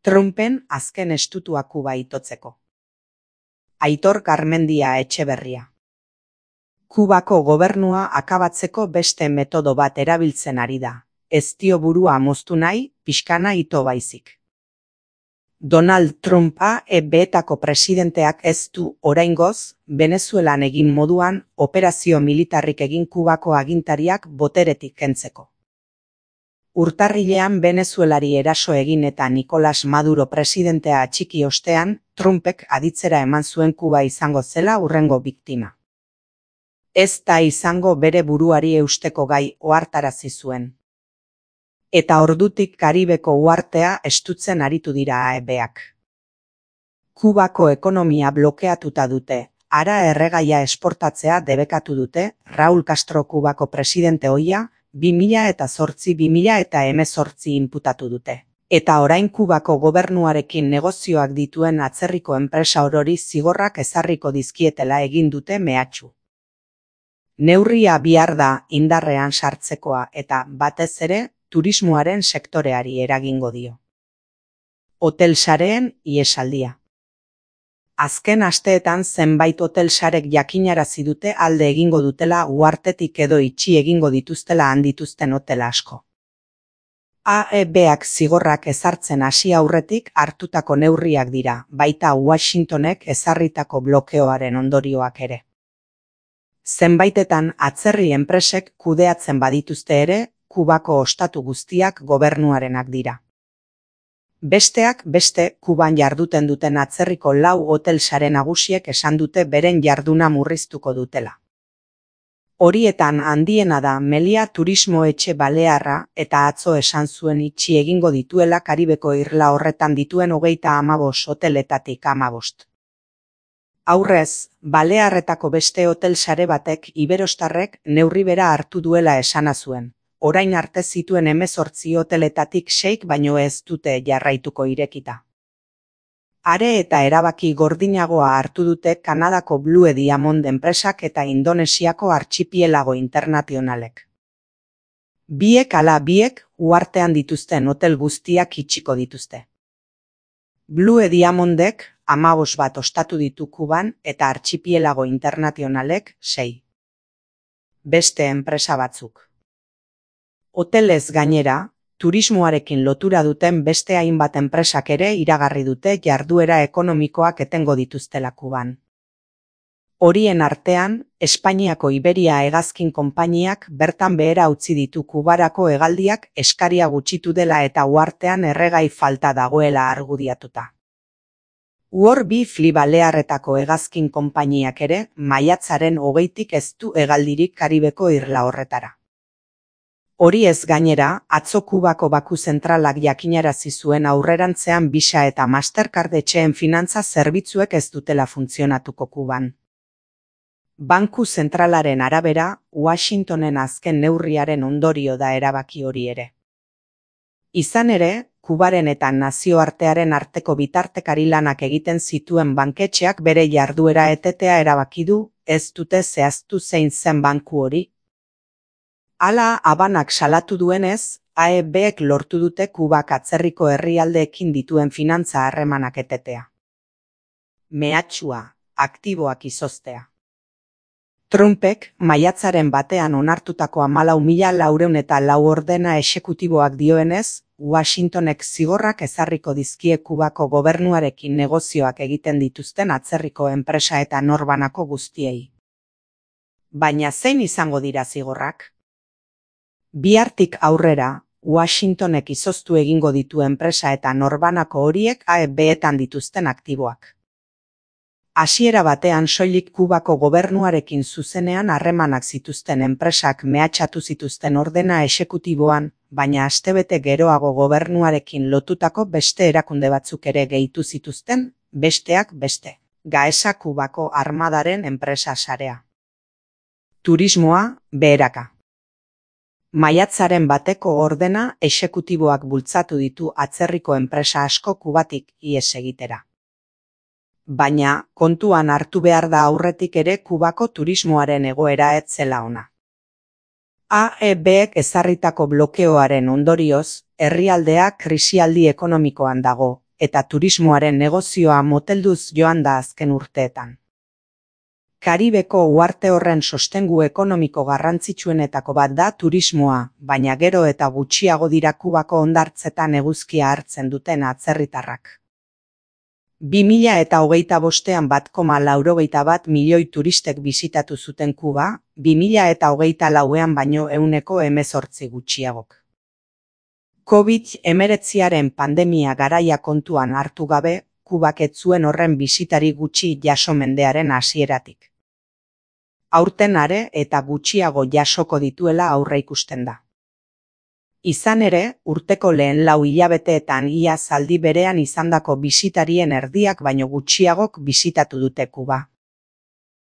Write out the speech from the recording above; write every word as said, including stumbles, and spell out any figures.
Trumpen azken estutua Kuba itotzeko. Aitor Garmendia Etxeberria. Kubako gobernua akabatzeko beste metodo bat erabiltzen ari da. Ez dio burua moztu nahi, pixkana ito baizik. Donald Trumpa E B-etako presidenteak ez du oraingoz, Venezuelan egin moduan, operazio militarrik egin Kubako agintariak boteretik kentzeko. Urtarrilean Venezuelari eraso egin eta Nicolas Maduro presidentea atxiki ostean, Trumpek aditzera eman zuen Kuba izango zela hurrengo biktima. Ez da izango bere buruari eusteko gai ohartarazi zuen. Eta ordutik Karibeko uhartea estutzen aritu dira A E B-ak. Kubako ekonomia blokeatuta dute, hara erregaia esportatzea debekatu dute, Raul Castro Kubako presidente ohia, bi mila zortzi bi mila hemezortzi inputatu dute. Eta orain Kubako gobernuarekin negozioak dituen atzerriko enpresa orori zigorrak ezarriko dizkietela egin dute mehatxu. Neurria bihar da indarrean sartzekoa eta batez ere, turismoaren sektoreari eragingo dio. Hotel sareen ihesaldia. Azken asteetan zenbait hotel sarek jakinarazi dute alde egingo dutela uhartetik edo itxi egingo dituztela handituzten hotel asko. A E B-ak zigorrak ezartzen hasi aurretik hartutako neurriak dira, baita Washingtonek ezarritako blokeoaren ondorioak ere. Zenbaitetan atzerri enpresek kudeatzen badituzte ere, Kubako ostatu guztiak gobernuarenak dira. Besteak beste, Kuban jarduten duten atzerriko lau hotel sare nagusiek esan dute beren jarduna murriztuko dutela. Horietan handiena da Melia Turismo Etxe Balearra eta atzo esan zuen itxi egingo dituela Karibeko irla horretan dituen hogeita hamabost hoteletatik hamabost. Aurrez, Balearretako beste hotel sare batek iberostarrek neurri bera hartu duela esana zuen. Orain arte zituen hemezortzi hoteletatik seik baino ez dute jarraituko irekita. Are eta erabaki gordinagoa hartu dute Kanadako Blue Diamond enpresak eta Indonesiako Archipielago Internazionalek. Biek ala biek uhartean dituzten hotel guztiak itxiko dituzte. Blue Diamondek hamabost bat ostatu ditu Kuban eta Archipielago Internazionalek sei. Beste enpresa batzuk. Hotelez gainera, turismoarekin lotura duten beste hainbat enpresak ere iragarri dute jarduera ekonomikoak etengo dituztela Kuban. Horien artean, Espainiako Iberia hegazkin konpainiak bertan behera utzi ditu Kubarako hegaldiak eskaria gutxitu dela eta uhartean erregai falta dagoela argudiatuta. World Fly Balearretako hegazkin konpainiak ere, maiatzaren hogeitik ez du hegaldirik Karibeko irla horretara. Hori ez gainera, atzo Kubako Baku zentralak jakinarazi zuen aurrerantzean Visa eta Mastercard etxeen finantza zerbitzuek ez dutela funtzionatuko Kuban. Banku zentralaren arabera, Washingtonen azken neurriaren ondorio da erabaki hori ere. Izan ere, Kubaren eta nazioartearen arteko bitartekari lanak egiten zituen banketxeak bere jarduera etetea erabaki du, ez dute zehaztu zein zen banku hori. Hala Habanak salatu duenez, A E B-ek lortu dute Kubak atzerriko herrialdeekin dituen finantza harremanak etetea. Mehatxua, aktiboak izoztea. Trumpek maiatzaren batean onartutako hamalau mila laurehun eta lau ordena exekutiboak dioenez, Washingtonek zigorrak ezarriko dizkie Kubako gobernuarekin negozioak egiten dituzten atzerriko enpresa eta norbanako guztiei. Baina zein izango dira zigorrak? Bihartik aurrera, Washingtonek izoztu egingo ditu enpresa eta norbanako horiek A E B-etan dituzten aktiboak. Hasiera batean soilik Kubako gobernuarekin zuzenean harremanak zituzten enpresak mehatxatu zituzten ordena exekutiboan, baina astebete geroago gobernuarekin lotutako beste erakunde batzuk ere gehitu zituzten, besteak beste. Gaesa Kubako armadaren enpresa sarea. Turismoa, beheraka. Maiatzaren bateko ordena exekutiboak bultzatu ditu atzerriko enpresa asko Kubatik ihes egitera. Baina, kontuan hartu behar da aurretik ere Kubako turismoaren egoera ez zela ona. A E B-ek ezarritako blokeoaren ondorioz, herrialdea krisialdi ekonomikoan dago, eta turismoaren negozioa motelduz joan da azken urteetan. Karibeko uharte horren sostengu ekonomiko garrantzitsuenetako bat da turismoa, baina gero eta gutxiago dira Kubako hondartzetan eguzkia hartzen duten atzerritarrak. bi mila eta hogeita bostean bat koma laurogeita bat milioi turistek bisitatu zuten Kuba, bi mila eta hogeita lauean baino ehuneko hemezortzi gutxiagok. covid hemeretziaren pandemia garaia kontuan hartu gabe, Kubak ez zuen horren bisitari gutxi jaso mendearen hasieratik. Aurten are eta gutxiago jasoko dituela aurreikusten da. Izan ere, urteko lehen lau hilabeteetan ia zaldi berean izandako bisitarien erdiak baino gutxiagok bisitatu dute Kuba.